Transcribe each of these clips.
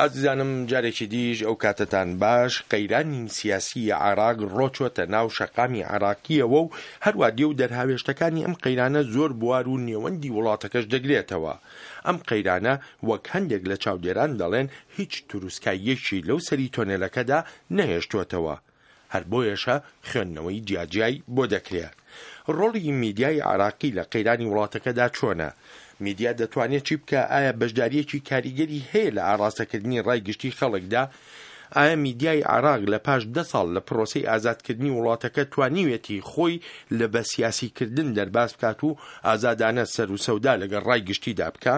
ئازیزانم جارێکی دیش ئەو کاتەتان باش، قەیرانی سیاسی عێراق ڕۆچۆتە ناو شەقامی عێراقییەوە و هەروا دێ و دەرهاوێشتەکانی ئەم قەیرانە زۆر بوار و نێوەندی وڵاتەکەش دەگرێتەوە. ئەم قەیرانە وەک هەندێک لە چاودێران دەڵێن هیچ تروسکاییەکی لەو سەری تۆنێلەکەدا نەهێشتۆتەوە. هەر بۆیەشە خوێندنەوەی جیاجیای بۆ دەکرێ. ڕۆڵی میدیای عێراقی لە قەیرانی وڵاتەکەدا چۆنە؟ میدیا دەتوانێ چی بکا؟ ئایا بەشدارییەکی کاریگەری هەیە لە ئاڕاستەکردنی ڕای گشتی خەڵکدا؟ ئایا میدیای عێراق لە پاش دە ساڵ لە پرۆسەی ئازادکردنی وڵاتەکە توانیوێتی خۆی لە بە سیاسیکردن دەرباز بکات و ئازادانە سەروسەودا لەگەڵ ڕای گشتیدا بکا؟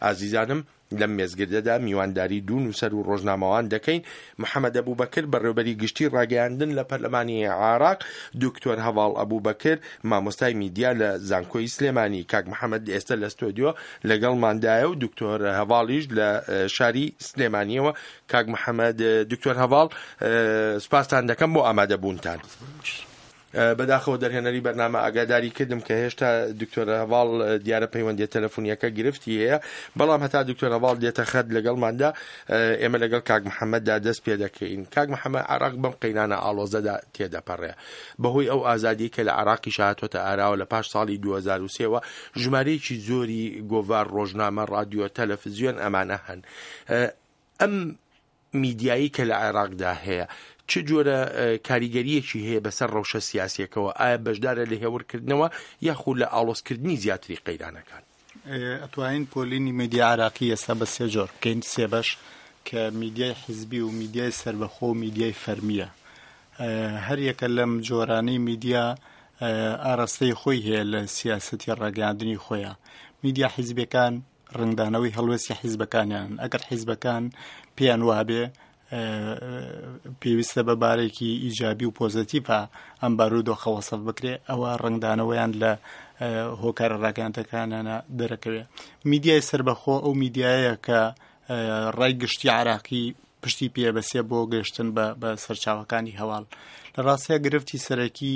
ئازیزانم لەم مێزگردەدا میوانداری دوو نووسەر و ڕۆژنامەوان دەکەین، محەمەد ئەبوبەکر، بەڕێوەبەری گشتی ڕاگەیاندن لە پەرلەمانی عێراق، دکتۆر هەڤاڵ ئەبوبەکر، مامۆستای میدیا لە زانکۆی سلێمانی. کاک محەمەد ئێستا لە ستۆدیۆ لەگەڵماندایە و دکتۆر هەڤاڵیش لە شاری سلێمانیەوە. کاک محەمەد، دکتۆر هەڤاڵ، سوپاستان دەکەم بۆ ئامادەبوونتان. بەداخەوە دەرهێنەری بەرنامە ئاگاداری کردم کە هێشتا دکتۆر هەڤاڵ دیارە پەیوەندیە تەلەفونیەکە گرفتی هەیە، بەڵام هەتا دکتۆر هەڤاڵ دێتە خەت لەگەڵماندا ئێمە لەگەڵ کاک محەممەددا دەست پێ دەکەین. کاک محەممەد، عێراق بەم قەیرانە ئاڵۆزەدا تێدەپەڕێ بەهۆی ئەو ئازادی کە لە عێراقیش هاتۆتە ئاراوە لە پاش ساڵی 2003ەوە ژمارەیەکی زۆری گۆڤار، ڕۆژنامە، ڕادیۆ، تەلەفزیۆن ئەمانە هەن. ئەم میدیایی کە لە عێراقدا هەیە چ جۆرە کاریگەرییەکی هەیە بەسەر ڕەوشە سیاسییەکەوە، ئایا بەشدارە لە هێورکردنەوە یاخود لە ئاڵۆزکردنی زیاتری قەیرانەکان؟ ئەتوانین پۆلینی میدیای عێراقی ئێستا بە سێ جۆر بکەین، سێ بەش، کە میدیای حیزبی و میدیای سەربەخۆ و میدیای فەرمییە. هەر یەکە لەم جۆرانەی میدیا ئاراستەی خۆی هەیە لە سیاسەتی ڕاگەیاندنی خۆیان. میدیا حیزبیەکان ڕەنگدانەوەی هەڵوێستی حیزبەکانیانن، ئەگەر حیزبەکان پێیان وابێ پێویستە بە بارێکی ئیجابی و پۆزەتیڤە ئەم بارودۆخە وەسف بکرێ، ئەوە ڕەنگدانەوەیان لە هۆکارە ڕاگەیاندەکانیانە دەرەکەوێ. میدیای سەربەخۆ ئەو میدیایە کە ڕای گشتی عراقی پشتی پێبەسێ بۆ گەشتن بە سەرچاوەکانی هەواڵ. لە ڕاستیا گرفتی سەرەکی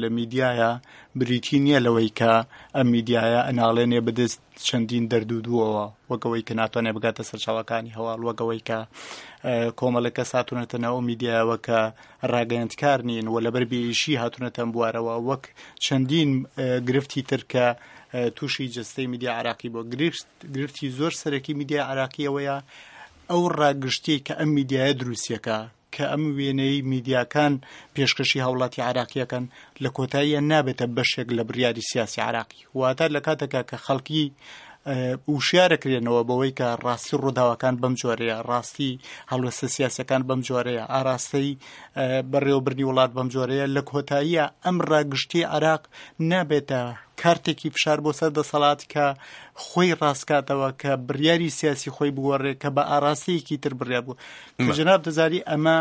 لە میدیایە بریتی نییە لەوەی کە ئەم میدیایە ئەناڵێنێ بەدەست چەندین دەرد و دووەوە، وەکەوەی کە ناتوانێت بگاتە سەرچاوەکانی هەواڵ، وەکەوەی کە کۆمەڵێک کەس هاتوونەتە ناو ئەو میدیایەوە کە ڕاگەیەندکار نین و لەبەر بێئیشی هاتوونەتە ئەم بوارەوە، وەک چەندین گرفتی تر کە تووشی جەستەی میدیا عراقی بووە. گرفتی زۆر سەرەکی میدیای عراقی ئەوەیە ئەو ڕاگشتیەی کە ئەم میدیایە دروستیەکە، کە ئەم وێنەی میدیاکان پێشکەشی هاوڵاتی عراقیەکەن، لە کۆتاییە نابێتە بەشێک لە بڕیاری سیاسی عراقی. واتە لە کاتێکا کە خەڵکی وشیارەکرێنەوە بەوەی کە ڕاستی ڕووداوەکان بەم جۆرەیە، ڕاستی هەڵوێستە سیاسەکان بەم جۆرەیە، ئاراستەی بەڕێوەبردنی وڵات بەم جۆرەیە، لە کۆتاییە ئەم ڕاگشتی عراق نابێتە کارتێکی فشار بۆ سەر دەسەڵات کە خۆی ڕاستکاتەوە، کە بڕیاری سیاسی خۆی بگۆڕێ، کە بە ئاراستەیەکی تر بڕیار بوو. کە جەناب دەزاری ئەمە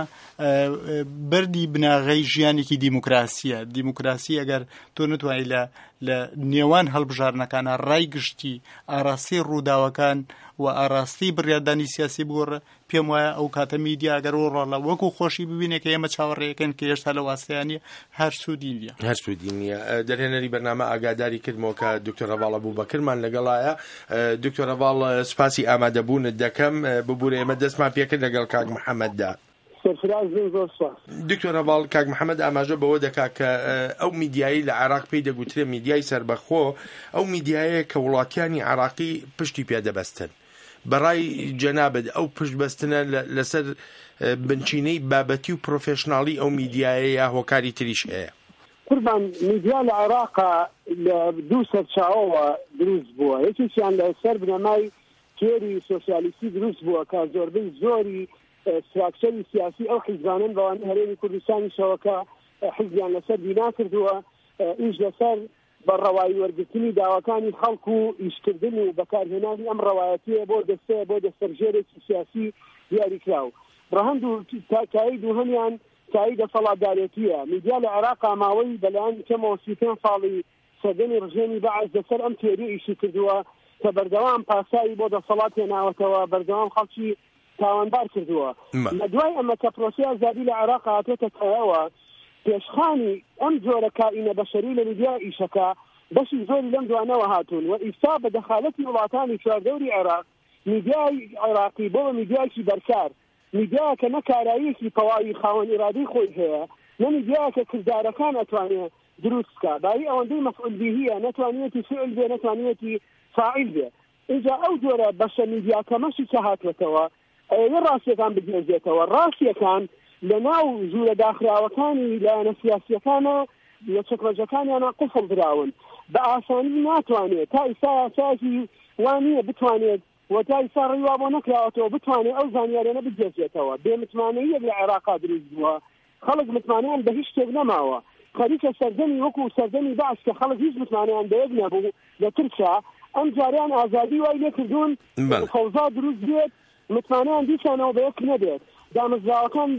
بەردی بناغەی ژیانێکی دیموکراسیە. دیموکراسی ئەگەر تۆ نتوانانی لە لە نێوان هەڵبژاردنەکانە ڕای گشتی ئاراستەی ڕووداوەکان و ئاراستەی بڕیاردانی سیاسی بگۆڕێ، پێم وایە ئەو کاتە میدیا ئەگەر ئەو ڕۆڵە وەکو خۆشی ببینێ کە ئێمە چاوەڕێیەکەین کە هێشتا لە واستەیان نییە، هەر سوودی نییە. هەر سوودی نییە. دەرهێنەری بەرنامە ئاگاداری کردمەوە کە دکتۆر هەڤاڵ ئەبوبەکرمان لەگەڵایە. دکتۆر هەڤاڵ سوپاسی ئامادەبوونت دەکەم. ببورە ئێمە دەستمان پێکرد لەگەڵ کاک محەمەددا. سەرفراز بن، زۆر سوپاس. دکتۆر هەڤاڵ، کاک محەمەد ئاماژە بەوە دەکات کە ئەو میدیایەی لە عێراق پێی دەگوترێ میدیای سەربەخۆ، ئەو میدیایەیە کە وڵاتیانی عێراقی پشتی پێ دەبەستن. بەڕای جەنابت ئەو پشت بەستنە لەسەر بنچینەی بابەتی و پرۆفێشناڵی ئەو میدیایە یا هۆکاری تریش هەیە؟ قوربان میدیا لە عێراقا لە دوو سەرچاوەوە دروست بووە، یەکێکیان لە سەر بنەمای تیۆری سۆسیالیستی دروست بووە کە زۆربەی زۆری ستراکچەری سیاسی ئەو حیزبانەن بەوانەی هەرێمی کوردستانیشەوە کە حیزبیان لەسەر بینا کردووە ئیش لەسەر بە ڕەوایی وەرگرتنی داواکانی خەڵک و ئیشکردن و بەکارهێنانی ئەم ڕەوایەتییە بۆ دەستەیە بۆ دەستەبژێرێکی سیاسی دیاریکراو. ڕەهەند و کایەی دووهەمیان کایەی دەسەڵاتدارێتییە. میدیا لە عێراقا ماوەی بەلایەنی کەمەوە 35 ساڵی سەردەمی ڕژێمی بەعس لەسەر ئەم تیۆرییە ئیشی کردووە کە بەردەوام پاساوی بۆ دەسەڵات هێناوەتەوە، بەردەوام خەڵکی تاوانبار کردووە. لە دوای ئەمە کە پرۆسەی ئازادی لە عێراق هاتۆتە کایەوە، پێشخانی ئەم جۆرە کائینە بەشەری لە میدیا ئیشەکە بەشی زۆری لەم دوانەوە هاتوون و ئیستا بە دەخالەتی وڵاتانی چواردەوری عێراق میدیای عێراقی بۆ بە میدیایەکی بەرکار، میدیایەکە نە کاراییەکی تەواوی خاوەن ئیرادەی خۆی هەیە، نە میدیایەکە کردارەکان ئەتوانێ دروست بکا، بایی ئەوەندەی مەفعول بیهیە نە توانیویەتی فیعل بێ نە توانیویەتی فاعیل بێ. ئینجا ئەو جۆرە بەشە میدیا کەمەشی کە هاتووەتەوە ئەیەوێ ڕاستیەکان بگوێزێتەوە، ڕاستیەکان لە ناو ژوورە داخراوەکانی لایەنە سیاسیەکانا لە چەکمەجەکانیانا قوفڵ دراون، بە ئاسانی ناتوانێ تا ئیستا یاسایەکی وا نیە بتوانێت و تا ئیستا ڕێی وا بۆ نەکراوەتەوە بتوانێت ئەو زانیاریانە بگوێزێتەوە. بێ متمانەییەک لە عێراقا دروست بووە، خەڵک متمانەیان بە هیچ شتێک نەماوە. خەریکە سەردەمی وەکو سەردەمی بەعس کە خەڵک هیچ متمانەیان بە یەک نەبوو لە ترسا، ئەمجارەیان ئازادی وای لێکردوون فەوزا دروست بێت، متمانەیان دیسانەوە بە یەک نەبێت. دامەزراوەکان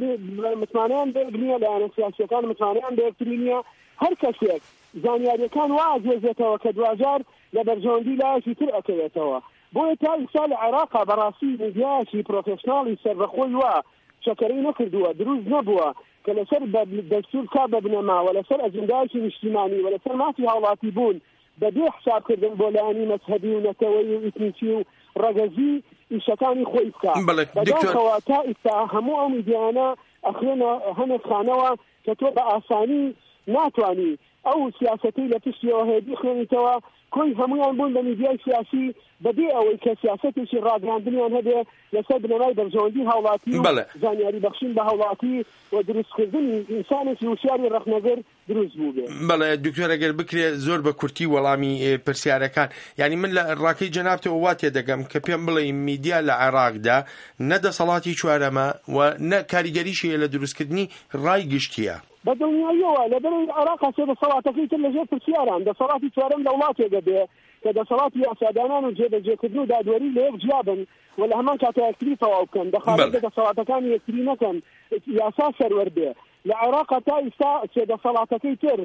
متمانەیان بە یەک نییە، لایەنە سیاسییەکان متمانەیان بە یەکتری نییە. هەر کەسێک زانیارییەکان وا ئەگوێزێتەوە کە دواجار لە بەرژەوەندی لایەکی تر ئەکەوێتەوە. بۆیە تا ئیستا لە عێراقا بەڕاستی میدیایەکی پرۆفێشناڵی سەربەخۆی وا چەکەرەی نەکردووە، دروست نەبووە کە لەسەر دەستور بکا بە بنەما و لەسەر ئەجندایەکی نیشتیمانی و لەسەر مافی هاوڵاتی بوون بە بێ حساب کردن بۆ لایەنی مەزهەبی و نەتەوەیی و ئیتنیکی و ڕەگەزی ئیشەکانی خۆی بکا. بەداخەوە تا ئیستا هەموو ئەو میدیایانە ئەخرێنە هەنێک خانەوە کە تۆ بە ئاسانی ناتوانی ئەو سیاسەتەی لە پشتیەوە هەیە بیخوێنیتەوە، کۆی هەموویان بوون بە میدیای سیاسی بەبێ ئەوەی کە سیاسەتێکی ڕاگەیاندنیان هەبێ لەسەر بنەمای بەرژەوەندی هاوڵاتی و زانیاری بەخشین بە هاوڵاتی و دروستکردنی ئینسانێکی وشیاری ڕەخنەگر دروست بووبێ. بەڵێ دکتۆر ئەگەر بکرێ زۆر بە کورتی وەڵامی پرسیارەکان یانی من لە ڕاکەی جەنابتەوە وا تێدەگەم کە پێم بڵێی میدیا لە عێراقدا نە دەسەڵاتی چوارەمە و نە کاریگەریشی هەیە لە دروستکردنی ڕای گشتییە. بە دڵنیاییەوە لەبەرئەوەی عێراق سێ دەسەڵاتەکەی تر لەژێر پرسیاران، دەسەڵاتی چوارەم لە وڵاتێک ئەبێ کە دەسەڵاتی یاسادانان و جێبەجێکردن و دادوەری لە یەک جیا بن و لە هەمان کاتا یەکتری تەواو بکەن، دەخالەت لە دەسەڵاتەکانی یەکتری نەکەن، یاسا سەروەر بێ. لە عێراقا تا ئیستا سێ دەسەڵاتەکەی تر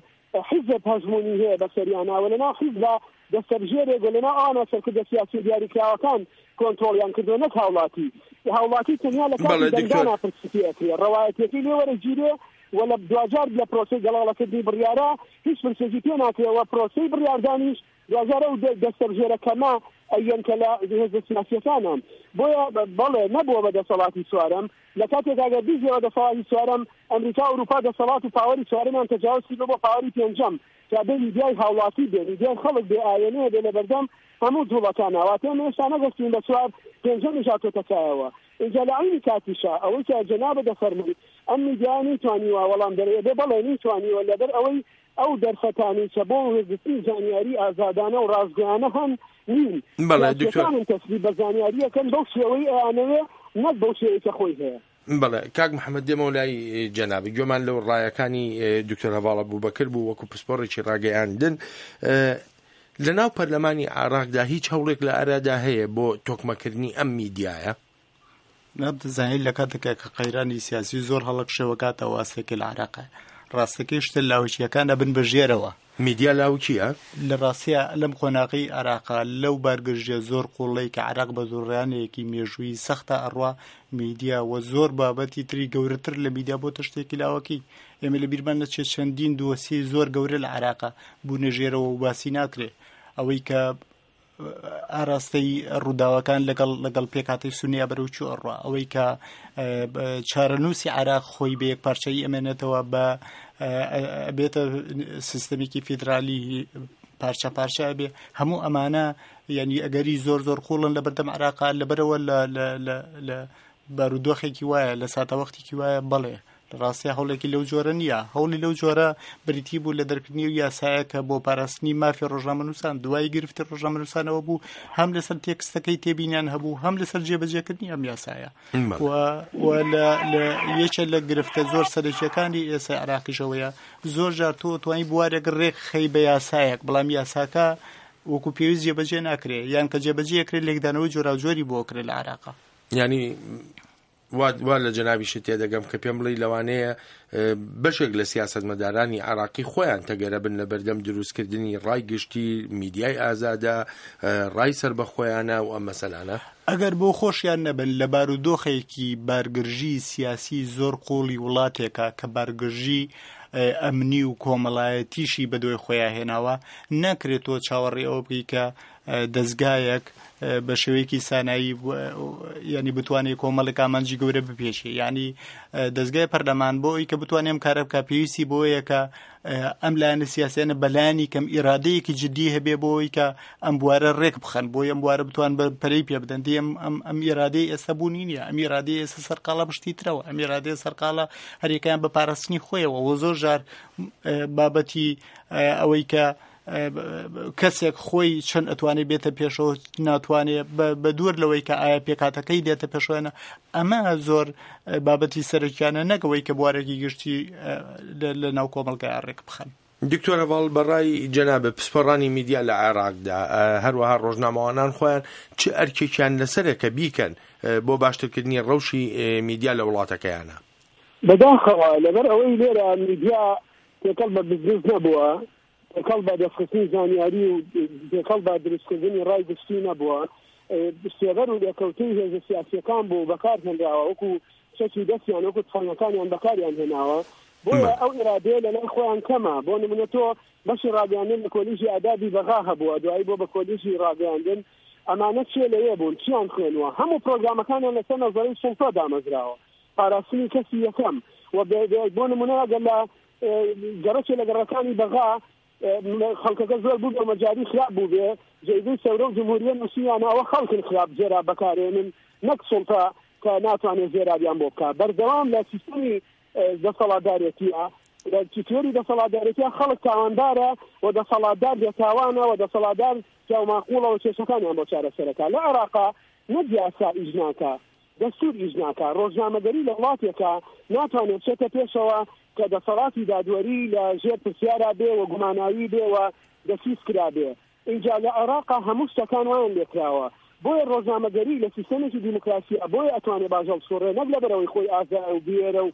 حیزب هەژموونی هەیە بەسەریانا و لەناو حیزبا دەستەبژێرێک و لەناو ئەوانە سەرکردە سیاسیە دیاریکراوەکان کۆنترۆڵیان کردووە نەک هاوڵاتی. هاوڵاتی تەنیا لە کاتی دەنگدانا پرسی پێ ئەکرێ، ڕەوایەتیەکەی لێ وەرەگیرێ و لە دواجار لە پرۆسەی گەڵاڵەکردنی بڕیارا هیچ پرسێکی پێ ناکرێ و پرۆسەی بڕیاردانیش دواجار ئەو دەستەبژێرە کەمە ئەیەن کە لە هێزە سیاسیەکانن. بۆیە بەڵێ نەبووە بە دەسەڵاتی چوارەم، لە کاتێکا گەر بیگەوە دەسەڵاتی چوارەم، ئەمریکا و ئەوروپا دەسەڵات و پاوەری چوارەمیان تەجاوز کردوە بۆ پاوەری پێنجەم کە بێ میدیای هاوڵاتی بێ، میدیای خەڵک بێ ئاوێنەیە بێ لەبەردەم هەموو جوڵەکانا، واتە ئێمە هێشتا نەگەشتوین بە چوار، پێنجەمیش هاتۆتە کایەوە. ئینجا لە عەینی کاتیشا ئەوەی کە جەنابت دەفەرمووی ئەم میدیایە نەیتوانیوە وەڵام دەرەوە بێ، بەڵێ نەیتوانیوە لەبەر ئەوەی ئەو دەرفەتانەی کە بۆ وەرگرتنی زانیاری ئازادانە و ڕاستگۆیانە هەن نین. بەڵێ دکتۆر. سیاسیەکانن تەسلیب بە زانیارییەکەن بەو شێوەی ئەیانەوێ نەک بەو شێوەی کە خۆی هەیە. بەڵێ کاک محەمەد دێمەوە لای جەنابت گوێمان لەو ڕایەکانی دکتۆر هەڤاڵ ئەبوبەکر بوو وەکو پسپۆڕێکی ڕاگەیاندن لە ناو پەرلەمانی عێراقدا هیچ هەوڵێک لە ئارادا هەیە بۆ تۆکمەکردنی ئەم میدیایە؟ دەزانیت لە کاتێکا کە قەیرانی سیاسی زۆر هەڵەکشێوەکاتەوە ئاستێکی لە عراق ڕاستەکەی شتە لاوکیەکان ئەبن بە ژێرەوە. میدیا لاوکیە؟ لە ڕاستیا لەم قۆناغەی عراقا لەو بارگرژیە زۆر قوڵەی کە عراق بە دوڕیانێکی مێژوویی سەختە ئەڕوا میدیا و زۆر بابەتی تری گەورەتر لە میدیا بۆتە شتێکی لاوەکی ئێمە لە بیرمان نەچێت چەندین دۆسیەی زۆر گەورە لە عراقا بوونە ژێرەوە و باسی ناکرێ ئەوەی کە ئاراستەی ڕووداوەکان لەگەڵ لەگەڵ پێکهاتەی سونیا بەرەو چوو ئەڕوا ئەوەی کە چارەنووسی عراق خۆی بە یەک پارچەیی ئەمێنێتەوە بە بێتە سیستەمێکی فیدرالی پارچە پارچە ئەبێ هەموو ئەمانە یعنی ئەگەری زۆر زۆر قوڵن لە بەردەم عراقا لەبەرەوە لە بارودۆخێکی وایە لە ساتەوەختێکی وایە بەڵێ لە ڕاستیا هەوڵێکی لەو جۆرە نییە. هەوڵی لەو جۆرە بریتی بوو لە دەرکردنی ئەو یاسایە کە بۆ پاراستنی مافی ڕۆژنامەنووسان دوای گرفتی ڕۆژنامەنووسانەوە بوو، هەم لەسەر تێکستەکەی تێبینیان هەبوو، هەم لەسەر جێبەجێکردنی ئەم یاسایە. و و لە لە یەکێ لە گرفتە زۆر سەرەکییەکانی ئێستای عێراقیش ئەوەیە زۆر جار تۆ توانی بوارێک ڕێک خەی بە یاسایەک، بەڵام یاساکە وەکو پێویست جێبەجێ ناکرێ یان کە جێبەجێ ئەکرێ لێکدانەوەی جۆراوجۆری بۆ ئەکرێ لە عێراقا. یانی وا وا لە جەنابیشت تێدەگەم کە پێم بڵێی لەوانەیە بەشێک لە سیاسەتمەدارانی عێراقی خۆیان تەگەرە بن لە بەردەم دروستکردنی ڕای گشتی، میدیای ئازادە، ڕای سەربەخۆیانە و ئەم مەسەلانە؟ ئەگەر بۆ خۆشیان نەبن لە بارودۆخێکی بارگرژی سیاسی زۆر قووڵی وڵاتێکا کە بارگرژی ئەمنی و کۆمەڵایەتیشی بەدوای خۆیا هێناوە، ناکرێت تۆ چاوەڕێی ئەوە بکەی کە دەزگایەک بە شێوەیەکی سانایی ینی بتوانێت کۆمەڵێک ئامانجی گەورە بپێشێ ینی دەستگای پەرلەمان بۆ ئەوی کە بتوانێت ئەم کارە بکە پێویستی بۆیە کە ئەم لایەنە سیاسیانە بەلایەنی کەم ئیرادەیەکی جددی هەبێ بۆ ئەوی کە ئەم بوارە ڕێک بخەن بۆی ئەم بوارە بتوان بە پەرەی پێ بدەن دی ئەم ئەم ئەم ئیرادەی ئێستا بوونی نییە ئەم ئیرادەی ئێستا سەرقاڵە بشتی ترەوە ئەم ئیرادەیە سەرقاڵە هەریەکەیان بە پاراستنی خۆیەوە وە زۆر جار بابەتی ئەوەی کە کەسێک خۆی چەند ئەتوانێت بێتە پێشەوە ناتوانێت بە دوور لەوەی کە ئایا پێکاتەکەی دێتە پێشوێنە ئەمە زۆر بابەتی سەرەکیانە نەکەوەی کە بوارێکی گشتی لە ناو کۆمەڵگای ڕێک بخەن. دکتۆر هەڤاڵ بەڕای جەنابت پسپۆڕانی میدیا لە عێراقدا هەروەها ڕۆژنامەوانان خۆیان چ ئەرکێکیان لەسەرە کە بیکەن بۆ باشترکردنی ڕەوشی میدیا لە وڵاتەکەیانە؟ بەداخەوە لەبەر ئەوەی لێرە میدیا تێکەڵ بە بزنس نەبووە، تێکەڵ بە دەستخستنی زانیاری و تێکەڵ بە دروستکردنی ڕای گشتی نەبووە، سێبەر و لێکەوتەی هێزە سیاسییەکان بوو و بەکار هێنراوە وەکو چەکی دەستیان وەکو تفەنگەکانیان بەکاریان هێناوە، بۆیە ئەو ئیرادەیە لەلای خۆیان کەمە، بۆ نمونە تۆ بەشی ڕاگەیاندن لە کۆلیژی ئادابی بەغا هەبووە دوایی بۆ بە کۆلیژی ڕاگەیاندن، ئەمانە کێ لەوێ بوون چیان خوێنووە، هەموو پرۆگرامەکانیان لەسەر نەزەرەی سوڵتە دامەزراوە، پاراستنی کەسی یەکەم و بۆ نمونە ئەگەر لە گەڕەکێ لە گەڕەکانی بەغا خەڵکەکە زۆر بوو بە مەجاری خراپ بووبێ جەیدەی سەورە و جمهوریە نووسیانە ئەوە خەڵکن خراپ زێراب بەکارێنن نەک سوڵتە کە ناتوانێت زێرابیان بۆ بکە بەردەوام لە سیستمی دەسەڵاتدارێتیە لە تیۆری دەسەڵاتدارێتیە خەڵک تاوانبارە و دەسەڵاتدار بێتاوانە و دەسەڵاتدار پیاوماقوڵەوە کێشەکانیان بۆ چارەسەرەکە لە عێراقا نەک یاسا ئیش ناکا دەستور ئیش ناکا، ڕۆژنامەگەری لە وڵاتێکا ناتوانێ بچێتە پێشەوە کە دەسەڵاتی دادوەری لە ژێر پرسیارا بێ و گوماناوی بێ و دەسیس کرابێ. ئینجا لە عێراقا هەموو شتەکان وایان لێکراوە. بۆیە ڕۆژنامەگەری لە سیستەمێکی دیموکراسیا بۆیە ئەتوانێ باش هەڵسوڕێ نەک لەبەرئەوەی خۆی ئازایە و بوێرە و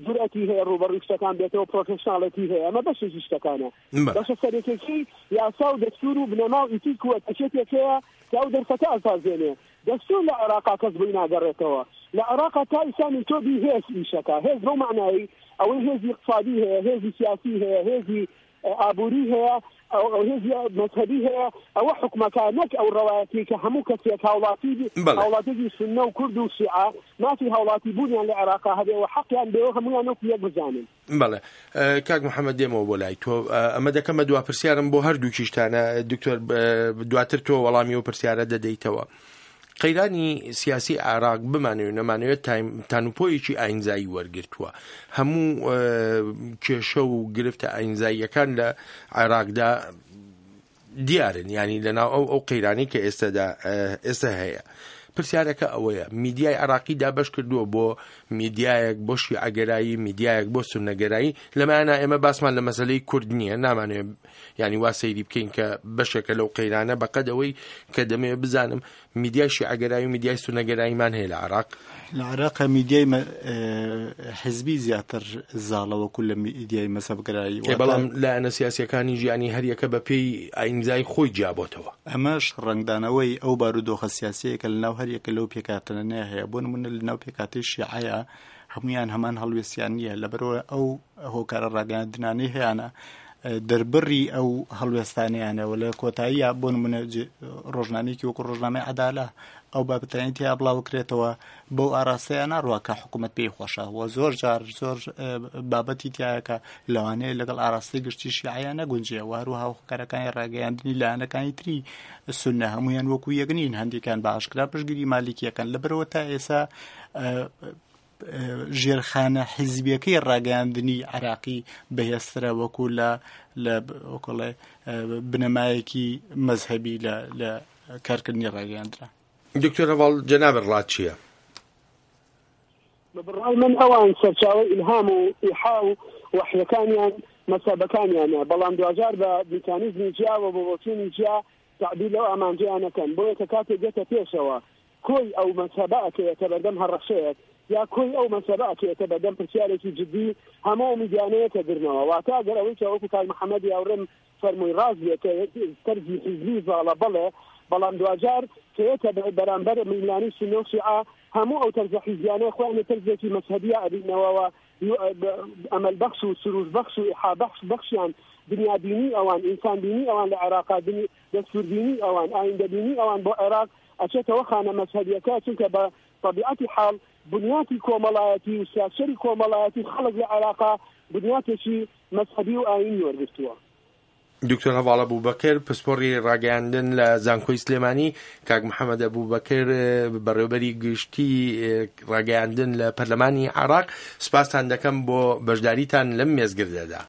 جورئەتی هەیە ڕووبەڕووی شتەکان بێتەوە پرۆفێشناڵێتی هەیە ئەمە بەشێکی شتەکانە. بەشە سەرەکیەکەی یاسا و دەستور و بنەما و ئیتیک و ئەتەکێتێک هەیە کە ئەو دەرفەتە ئەسازێنێ. دەستور لە عێراقا کەس بۆی ناگەڕێتەوە. لە عێراقا تا ئیستا میتۆدی هێز ئیشەکا. هێز بەو مەعنایەی ئەوەی هێزی ئیقتسادی هەیە، هێزی سیاسی هەیە، هێزی ئابووری هەیە، ئەو هێزی مەزهەبی هەیە، ئەوە حوکمەکا نەک ئەو ڕەوایەتیەی کە هەموو کەسێک هاوڵاتی هاوڵاتیەکی سوننە و کورد و شیعە مافی هاوڵاتی بوونیان لە عێراقا هەبێ و حەقیان بێ و هەموویان وەکو یەک بزانن. بەڵێ کاک محەممەد دێمەوە بۆ لای تۆ ئەمە دەکەمە دوا پرسیارم بۆ هەردووکیشتانە دکتۆر دواتر تۆ وەڵامی و پرسیارە دەدەیتەوە. قەیرانی سیاسی عێراق بمانەوێت نەمانەوێت تانوپۆیەکی ئاینزایی وەرگرتووە هەموو کێشە و گرفتە ئاینزاییەکان لە عێراقدا دیارن یانی لەناو ئەو ئەو قەیرانەی کە ئێستادا ئێستا هەیە پرسیارەکە ئەوەیە میدیای عراقی دابش کردووە بۆ میدیایەک بۆ شیعەگەرایی میدیایەک بۆ سونەگەرایی لەمایانە ئێمە باسمان لە مەسلەی کورد نییە نامانێ ینی وا سەیری بکەین کە بەشێکە لەو قەیرانە بەقەد ئەوەی کە دەمەوێت بزانم میدیای شیعەگەرایی و میدیای سوننەگەراییمان هەیە لە عێراق؟ لە عێراق میدیای حزبی زیاتر زاڵە وەکو لە میدیای مەزهەبگەرایی. بەڵام لایەنە سیاسییەکانی ژیانی هەریەکە بە پێی ئایینزای خۆی جیابۆتەوە. ئەمەش ڕەنگدانەوەی ئەو بارودۆخە سیاسییەیە کە لەناو هەریەکە لەو پێکهاتانەیە هەیە. بۆ نموونە لەناو پێکهاتەی شیعەیە هەموویان هەمان هەڵوێستیان نییە، لەبەرئەوە ئەو هۆکارە ڕاگەیاندنانەی هەیانە دەربڕی ئەو هەڵوێستانەیانە و لە کۆتاییە بۆ نمونە ڕۆژنامەیەکی وەکو ڕۆژنامەی عەدالە ئەو بابەتانی تیا بڵاوکرێتەوە بەو ئاراستەیە ناڕوە کە حکوومەت پێی خۆشە و زۆر جار زۆر بابەتی تایەکە لەوانەیە لەگەڵ ئاراستەی گشتی شیعە نەگونجێ و هەروەها هۆکارەکانی ڕاگەیاندنی لایەنەکانی تری سوننە هەمویان وەکو یەک نین هەندێکیان بە ئاشکرا پشتگیری مالیکیەکەن لەبەرەوە تا ئێسا ژێرخانە حیزبیەکەی ڕاگەیاندنی عراقی بەهێزترە وەکو لە لە وەکڵێ بنەمایەکی مەزهەبی لە لە کارکردنی ڕاگەیاندرا. دکتۆر هەڤاڵ جەنابت ڕات چییە؟ بە بڕوای من ئەوان سەرچاوەی ئیلهام و ئیحا و وەحیەکانیان مەزهەبەکانیانە، بەڵام دواجار بە میکانیزمی جیا و بە بۆچوونی جیا تەعبیر لەو ئامانجەیان ئەکەن، بۆیە کە کاتێک دێتە پێشەوە کۆی ئەو مەزهەبە ئەکەوێتە بەردەم هەڕەشەیەک یا کۆی ئەو مەزهەبە ئەکەوێتە بەردەم پرسیارێکی جدی هەموو ئەو میدیانە یەکەگرنەوە واتە ئەگەر ئەوەی کە وەکو کاک محەمەدی هاوڕێم فەرمووی ڕاست بێ کە تەرزی حیزبی زاڵە بەڵێ بەڵام دواجار کە یەتە بەرامبەر ململانێی سوننە و شیعە هەموو ئەو تەرزە حیزبیانە خۆیان لە تەرزێکی مەزهەبییا ئەبیننەوە ئەمەل بەخش و سروش بەخش و ئیحا بەخش بەخشیان دنیابینی ئەوان ئینسانبینی ئەوان لە عێراقا دەستوربینی ئەوان ئایندەبینی ئەوان بۆ عێراق ئەچێتەوە خانە مەزهەبیەکە، چونکە بە تەبیعەتی حاڵ بنیاتی کۆمەڵایەتی و ستراکچەری کۆمەڵایەتی خەڵک لە عێراقا بنیاتێکی مەزهەبی و ئایینی وەرگرتووە. دکتۆر هەڤاڵ ئەبوبەکر، پسپۆڕی ڕاگەیاندن لە زانکۆی سلێمانی، کاک محەمەد ئەبوبەکر، بەڕێوەبەری گشتی ڕاگەیاندن لە پەرلەمانی عێراق، سوپاستان دەکەم بۆ بەشداریتان لەم مێزگردەدا.